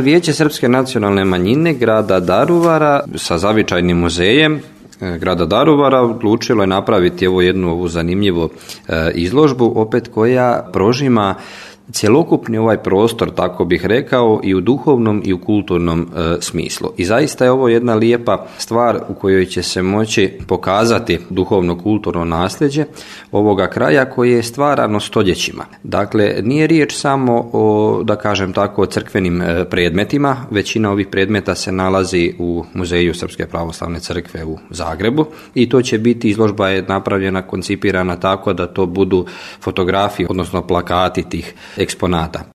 Vijeće Srpske nacionalne manjine grada Daruvara sa zavičajnim muzejem grada Daruvara odlučilo je napraviti jednu zanimljivu izložbu, opet koja prožima cjelokupni ovaj prostor, tako bih rekao, i u duhovnom i u kulturnom smislu. I zaista je ovo jedna lijepa stvar u kojoj će se moći pokazati duhovno-kulturno nasljeđe ovoga kraja koje je stvarano stoljećima. Dakle, nije riječ samo o, da kažem tako, o crkvenim predmetima. Većina ovih predmeta se nalazi u Muzeju Srpske pravoslavne crkve u Zagrebu i to će biti, izložba je napravljena, koncipirana tako da to budu fotografije, odnosno plakati tih eksponata.